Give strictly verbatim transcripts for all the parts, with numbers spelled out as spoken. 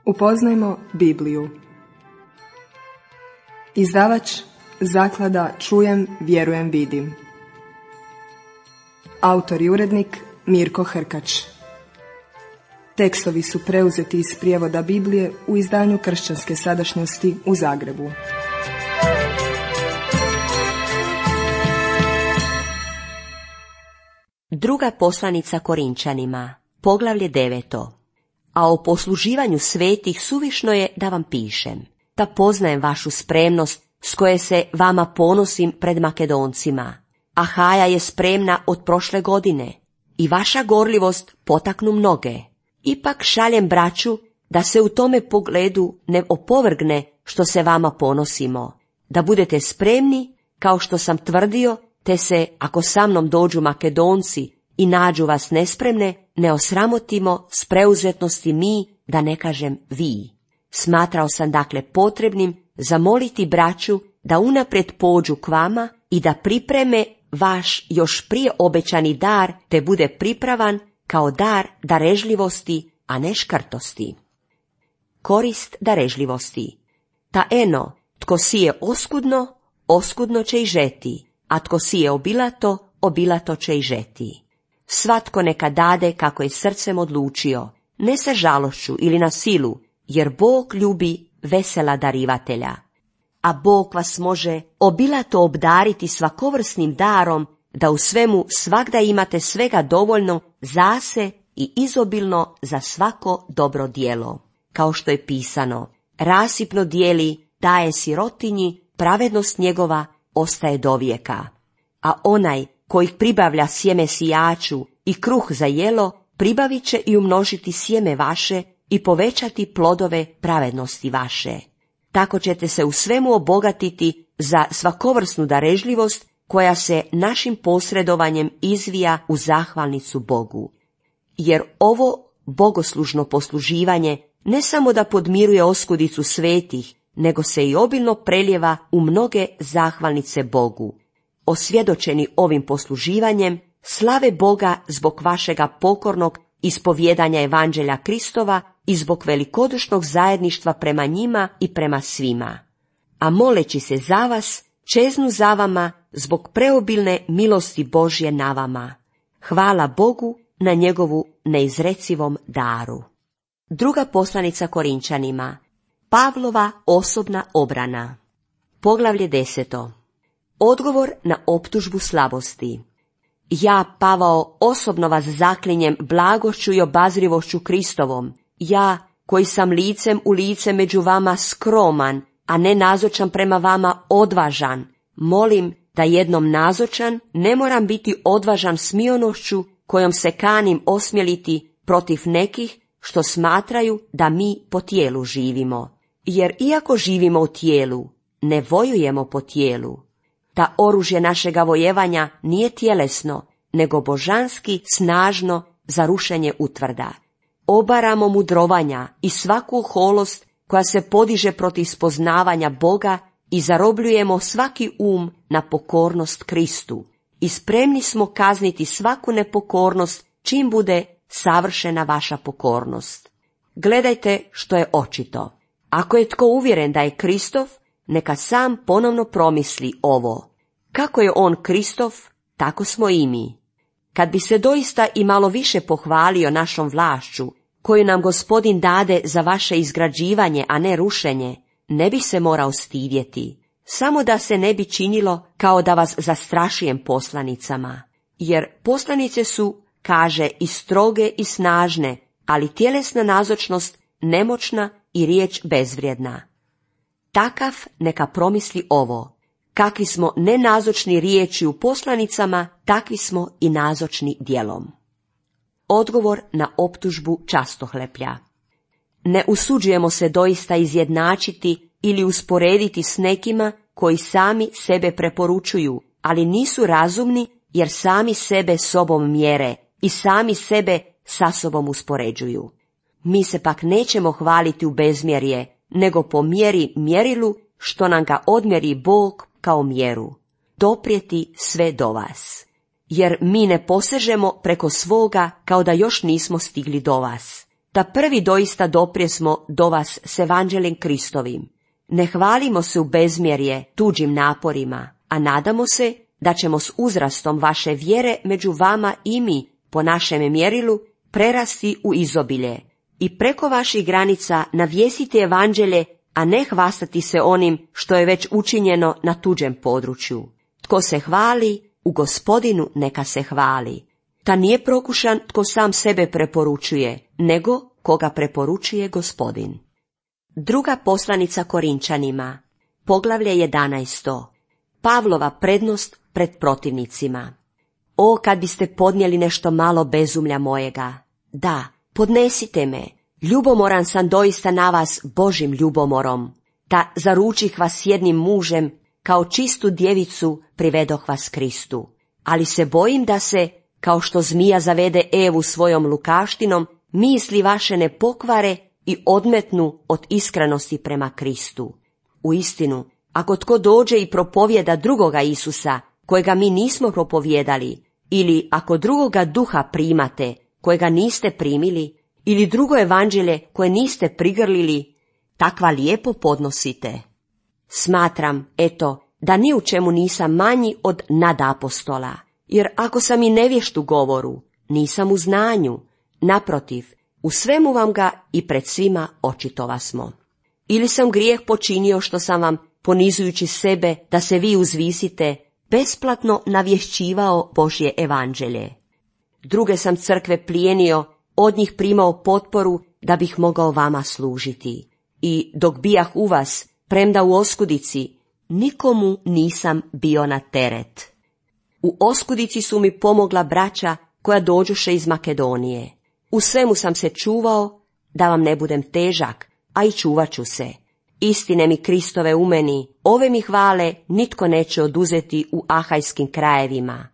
Upoznajmo Bibliju. Izdavač Zaklada Čujem, vjerujem, vidim. Autor i urednik Mirko Hrkač. Tekstovi su preuzeti iz prijevoda Biblije u izdanju Kršćanske sadašnjosti u Zagrebu. Druga poslanica Korinčanima, poglavlje deveto. A o posluživanju svetih suvišno je da vam pišem, da poznajem vašu spremnost s koje se vama ponosim pred Makedoncima. Ahaja je spremna od prošle godine i vaša gorljivost potaknu mnoge. Ipak šaljem braću da se u tome pogledu ne opovrgne što se vama ponosimo, da budete spremni kao što sam tvrdio, te se, ako sa mnom dođu Makedonci i nađu vas nespremne, ne osramotimo s preuzetnosti mi, da ne kažem vi. Smatrao sam dakle potrebnim zamoliti braću da unaprijed pođu k vama i da pripreme vaš još prije obećani dar, te bude pripravan kao dar darežljivosti, a ne škrtosti. Korist darežljivosti. Ta eno, tko sije oskudno, oskudno će i žeti, a tko sije obilato, obilato će i žeti. Svatko neka dade kako je srcem odlučio, ne sa žalošću ili na silu, jer Bog ljubi vesela darivatelja. A Bog vas može obilato obdariti svakovrsnim darom, da u svemu svagda imate svega dovoljno za se i izobilno za svako dobro djelo. Kao što je pisano, rasipno dijeli, daje sirotinji, pravednost njegova ostaje dovijeka. A onaj koji pribavlja sjeme sijaču i kruh za jelo, pribavit će i umnožiti sjeme vaše i povećati plodove pravednosti vaše. Tako ćete se u svemu obogatiti za svakovrsnu darežljivost koja se našim posredovanjem izvija u zahvalnicu Bogu. Jer ovo bogoslužno posluživanje ne samo da podmiruje oskudicu svetih, nego se i obilno preljeva u mnoge zahvalnice Bogu. Osvjedočeni ovim posluživanjem, slave Boga zbog vašega pokornog ispovjedanja Evanđelja Kristova i zbog velikodušnog zajedništva prema njima i prema svima. A moleći se za vas, čeznu za vama zbog preobilne milosti Božje na vama. Hvala Bogu na njegovu neizrecivom daru. Druga poslanica Korinčanima, Pavlova osobna obrana. Poglavlje deseto. Odgovor na optužbu slabosti. Ja, Pavao, osobno vas zaklinjem blagošću i obazrivošću Kristovom, ja, koji sam licem u lice među vama skroman, a ne nazočan prema vama odvažan, molim da jednom nazočan ne moram biti odvažan smionošću kojom se kanim osmjeliti protiv nekih što smatraju da mi po tijelu živimo. Jer iako živimo u tijelu, ne vojujemo po tijelu. Ta oružje našega vojevanja nije tjelesno, nego božanski snažno za rušenje utvrda. Obaramo mudrovanja i svaku oholost koja se podiže protiv spoznavanja Boga i zarobljujemo svaki um na pokornost Kristu. I spremni smo kazniti svaku nepokornost čim bude savršena vaša pokornost. Gledajte što je očito. Ako je tko uvjeren da je Kristov, neka sam ponovno promisli ovo. Kako je on Kristov, tako smo i mi. Kad bi se doista i malo više pohvalio našom vlašću, koju nam Gospodin dade za vaše izgrađivanje, a ne rušenje, ne bi se morao stidjeti, samo da se ne bi činilo kao da vas zastrašujem poslanicama. Jer poslanice su, kaže, i stroge i snažne, ali tjelesna nazočnost nemoćna i riječ bezvrijedna. Takav neka promisli ovo. Kakvi smo nenazočni riječi u poslanicama, takvi smo i nazočni djelom. Odgovor na optužbu častohleplja. Ne usuđujemo se doista izjednačiti ili usporediti s nekima koji sami sebe preporučuju, ali nisu razumni jer sami sebe sobom mjere i sami sebe sa sobom uspoređuju. Mi se pak nećemo hvaliti u bezmjerje, nego po mjeri mjerilu što nam ga odmjeri Bog kao mjeru, doprijeti sve do vas. Jer mi ne posežemo preko svoga kao da još nismo stigli do vas. da prvi doista doprijesmo do vas s evanđeljem Kristovim. Ne hvalimo se u bezmjerje tuđim naporima, a nadamo se da ćemo s uzrastom vaše vjere među vama i mi, po našem mjerilu, prerasti u izobilje i preko vaših granica navjesiti evanđelje, a ne hvastati se onim što je već učinjeno na tuđem području. Tko se hvali, u Gospodinu neka se hvali. Ta nije prokušan tko sam sebe preporučuje, nego koga preporučuje Gospodin. Druga poslanica Korinčanima, poglavlje jedanaesto. Pavlova prednost pred protivnicima. O, kad biste podnijeli nešto malo bezumlja mojega. Da, podnesite me. Ljubomoran sam doista na vas Božim ljubomorom. Ta zaručih vas jednim mužem, kao čistu djevicu privedoh vas Kristu. Ali se bojim da se, kao što zmija zavede Evu svojom lukaštinom, misli vaše ne pokvare i odmetnu od iskrenosti prema Kristu. Uistinu, ako tko dođe i propovjeda drugoga Isusa, kojega mi nismo propovjedali, ili ako drugoga duha primate, kojega niste primili, ili drugo evanđelje koje niste prigrlili, takva lijepo podnosite. Smatram, eto, da ni u čemu nisam manji od nadapostola, jer ako sam i nevješt u govoru, nisam u znanju, naprotiv, u svemu vam ga i pred svima očitova smo. Ili sam grijeh počinio što sam vam, ponizujući sebe da se vi uzvisite, besplatno navješćivao Božje evanđelje. Druge sam crkve plijenio, od njih primao potporu da bih mogao vama služiti. I dok bijah u vas, premda u oskudici, nikomu nisam bio na teret. U oskudici su mi pomogla braća koja dođuše iz Makedonije. U svemu sam se čuvao da vam ne budem težak, a i čuvat ću se. Istine mi Kristove u meni, ove mi hvale nitko neće oduzeti u ahajskim krajevima.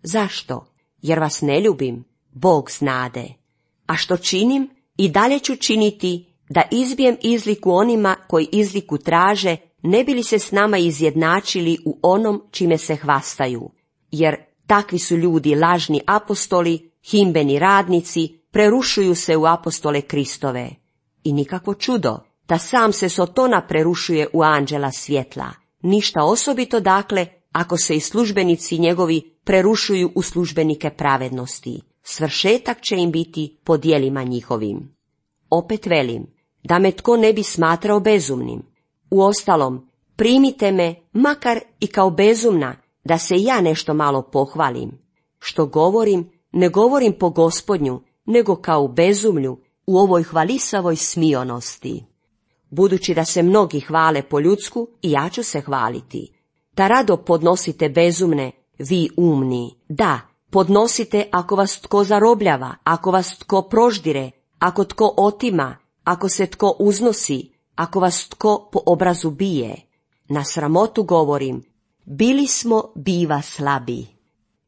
Zašto? Jer vas ne ljubim, Bog znade. A što činim, i dalje ću činiti, da izbijem izliku onima koji izliku traže, ne bi li se s nama izjednačili u onom čime se hvastaju. Jer takvi su ljudi lažni apostoli, himbeni radnici, prerušuju se u apostole Kristove. I nikakvo čudo, da sam se Sotona prerušuje u anđela svjetla. Ništa osobito dakle, ako se i službenici njegovi prerušuju u službenike pravednosti. Svršetak će im biti po djelima njihovim. Opet velim, da me tko ne bi smatrao bezumnim. Uostalom, primite me, makar i kao bezumna, da se ja nešto malo pohvalim. Što govorim, ne govorim po Gospodnju, nego kao u bezumlju, u ovoj hvalisavoj smionosti. Budući da se mnogi hvale po ljudsku, i ja ću se hvaliti. Da rado podnosite bezumne, vi umni. Da, podnosite ako vas tko zarobljava, ako vas tko proždire, ako tko otima, ako se tko uznosi, ako vas tko po obrazu bije. Na sramotu govorim, bili smo biva slabi.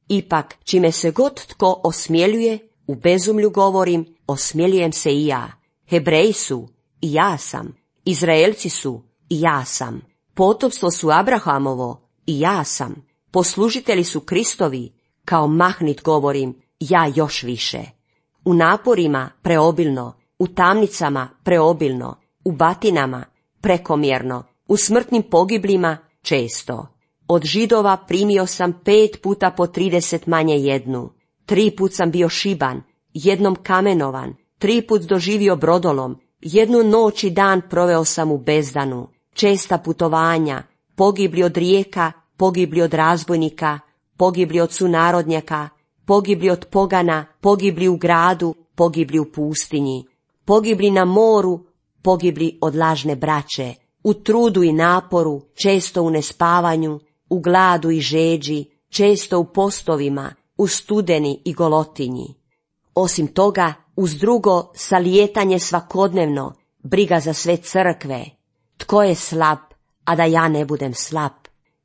Ipak, čime se god tko osmjeljuje, u bezumlju govorim, osmjeljujem se i ja. Hebreji su, i ja sam. Izraelci su, i ja sam. Potomstvo su Abrahamovo, i ja sam. Poslužitelji su Kristovi, kao mahnit govorim, ja još više. U naporima preobilno, u tamnicama preobilno, u batinama prekomjerno, u smrtnim pogibljima često. Od Židova primio sam pet puta po trideset manje jednu. Tri put sam bio šiban, jednom kamenovan, tri put doživio brodolom, jednu noć i dan proveo sam u bezdanu, česta putovanja, pogibli od rijeka, pogibli od razbojnika, pogibli od sunarodnjaka, pogibli od pogana, pogibli u gradu, pogibli u pustinji, pogibli na moru, pogibli od lažne braće, u trudu i naporu, često u nespavanju, u gladu i žeđi, često u postovima, u studeni i golotinji. Osim toga, uz drugo, salijetanje svakodnevno, briga za sve crkve. Tko je slab, a da ja ne budem slab?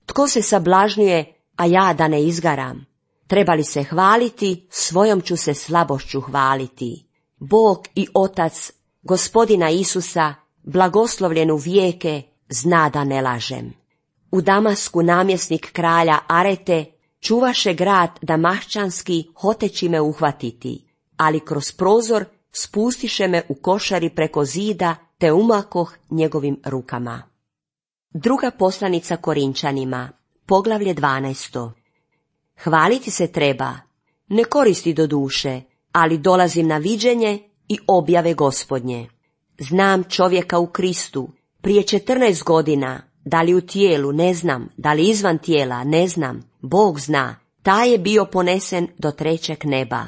Tko se sablažnjuje, a ja da ne izgaram? Treba li se hvaliti, svojom ću se slabošću hvaliti. Bog i Otac Gospodina Isusa, blagoslovljen u vijeke, zna da ne lažem. U Damasku namjesnik kralja Arete čuvaše grad damaščanski hoteći me uhvatiti, ali kroz prozor spustiše me u košari preko zida, te umakoh njegovim rukama. Druga poslanica Korinčanima, poglavlje dvanaesto. Hvaliti se treba, ne koristi do duše, ali dolazim na viđenje i objave Gospodnje. Znam čovjeka u Kristu, prije četrnaest godina, da li u tijelu, ne znam, da li izvan tijela, ne znam, Bog zna, taj je bio ponesen do trećeg neba.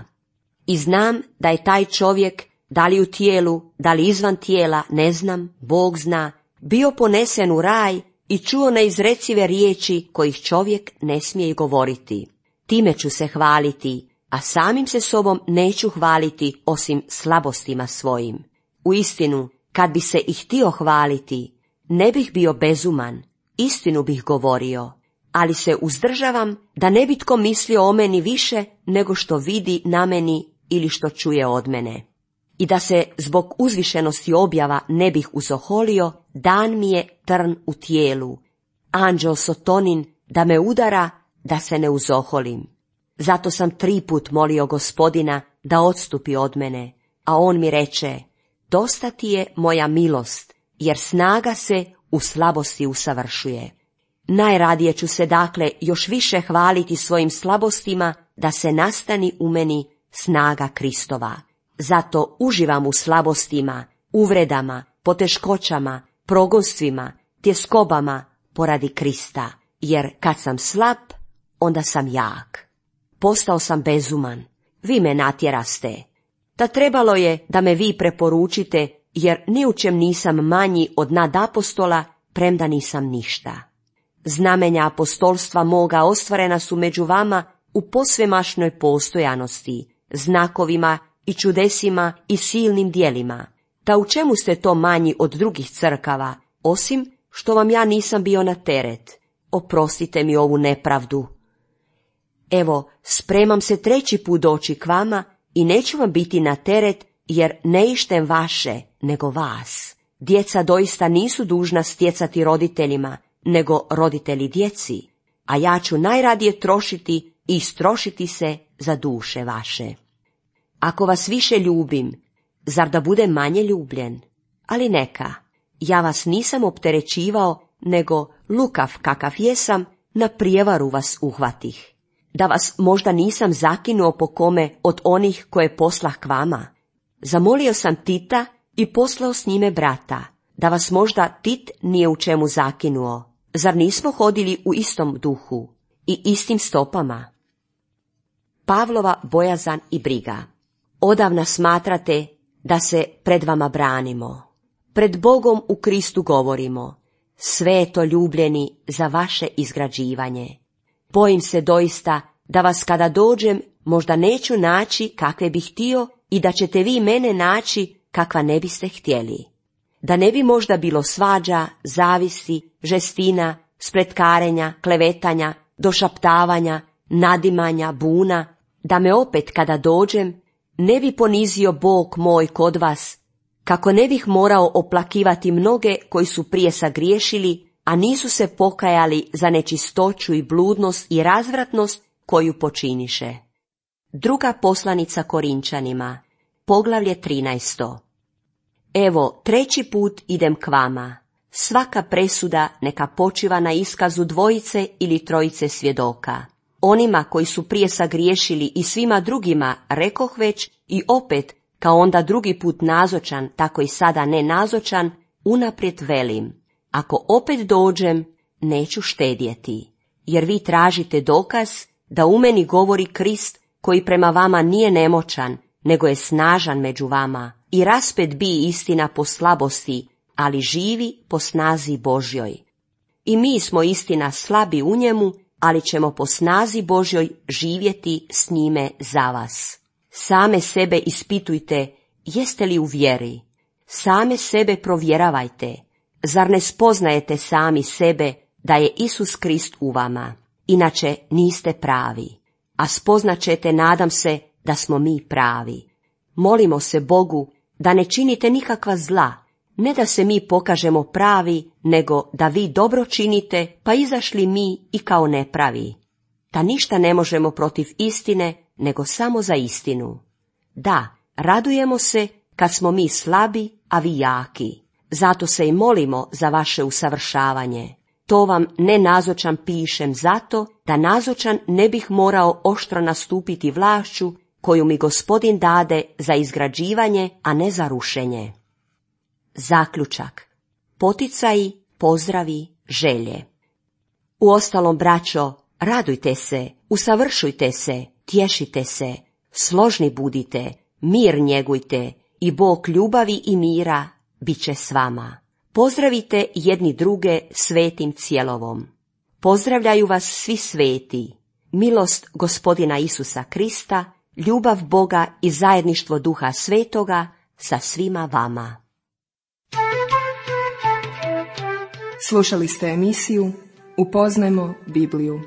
I znam da je taj čovjek, da li u tijelu, da li izvan tijela, ne znam, Bog zna, bio ponesen u raj i čuo neizrecive riječi kojih čovjek ne smije govoriti. Time ću se hvaliti, a samim se sobom neću hvaliti osim slabostima svojim. Uistinu, kad bi se i htio hvaliti, ne bih bio bezuman, istinu bih govorio, ali se uzdržavam da ne bi tko mislio o meni više nego što vidi na meni ili što čuje od mene. I da se zbog uzvišenosti objava ne bih uzoholio, dan mi je trn u tijelu, anđeo Sotonin da me udara da se ne uzoholim. Zato sam tri put molio Gospodina da odstupi od mene, a on mi reče, dosta ti je moja milost, jer snaga se u slabosti usavršuje. Najradije ću se dakle još više hvaliti svojim slabostima, da se nastani u meni snaga Kristova. Zato uživam u slabostima, uvredama, poteškoćama, progonstvima, tjeskobama poradi Krista, jer kad sam slab, onda sam jak. Postao sam bezuman, vi me natjeraste. Ta trebalo je da me vi preporučite, jer ni u čem nisam manji od nadapostola, premda nisam ništa. Znamenja apostolstva moga ostvarena su među vama u posvemašnoj postojanosti, znakovima i čudesima i silnim djelima. Ta u čemu ste to manji od drugih crkava, osim što vam ja nisam bio na teret? Oprostite mi ovu nepravdu. Evo, spremam se treći put doći k vama i neću vam biti na teret, jer ne ištem vaše, nego vas. Djeca doista nisu dužna stjecati roditeljima, nego roditelji djeci, a ja ću najradije trošiti i istrošiti se za duše vaše. Ako vas više ljubim, zar da budem manje ljubljen? Ali neka, ja vas nisam opterećivao, nego lukav kakav jesam, na prijevaru vas uhvatih. Da vas možda nisam zakinuo po kome od onih koje poslah k vama. Zamolio sam Tita i poslao s njime brata, da vas možda Tit nije u čemu zakinuo. Zar nismo hodili u istom duhu i istim stopama? Pavlova bojazan i briga. Odavna smatrate da se pred vama branimo. Pred Bogom u Kristu govorimo, sve je to ljubljeni za vaše izgrađivanje. Bojim se doista da vas kada dođem možda neću naći kakve bih htio i da ćete vi mene naći kakva ne biste htjeli. Da ne bi možda bilo svađa, zavisti, žestina, spletkarenja, klevetanja, došaptavanja, nadimanja, buna, da me opet kada dođem ne bi ponizio Bog moj kod vas, kako ne bih morao oplakivati mnoge koji su prije sagriješili, a nisu se pokajali za nečistoću i bludnost i razvratnost koju počiniše. Druga poslanica Korinčanima, poglavlje trinaesto. Evo, treći put idem k vama. Svaka presuda neka počiva na iskazu dvojice ili trojice svjedoka. Onima koji su prije sagriješili i svima drugima rekoh već i opet, kao onda drugi put nazočan, tako i sada ne nazočan, unaprijed velim. Ako opet dođem, neću štedjeti, jer vi tražite dokaz da u meni govori Krist koji prema vama nije nemoćan, nego je snažan među vama i raspet bi istina po slabosti, ali živi po snazi Božjoj. I mi smo istina slabi u njemu, ali ćemo po snazi Božjoj živjeti s njime za vas. Same sebe ispitujte, jeste li u vjeri? Same sebe provjeravajte. Zar ne spoznajete sami sebe da je Isus Krist u vama? Inače niste pravi. A spoznaćete, nadam se, da smo mi pravi. Molimo se Bogu da ne činite nikakva zla, ne da se mi pokažemo pravi, nego da vi dobro činite, pa izašli mi i kao nepravi. Da ništa ne možemo protiv istine, nego samo za istinu. Da, Radujemo se kad smo mi slabi, a vi jaki. Zato se i molimo za vaše usavršavanje. To vam nenazočan pišem zato, da nazočan ne bih morao oštro nastupiti vlašću koju mi Gospodin dade za izgrađivanje, a ne za rušenje. Zaključak. Poticaji, pozdravi, želje. Uostalom, braćo, radujte se, usavršujte se, tješite se, složni budite, mir njegujte i Bog ljubavi i mira bit će s vama. Pozdravite jedni druge svetim cjelovom. Pozdravljaju vas svi sveti. Milost Gospodina Isusa Krista, ljubav Boga i zajedništvo Duha Svetoga sa svima vama. Slušali ste emisiju Upoznajmo Bibliju.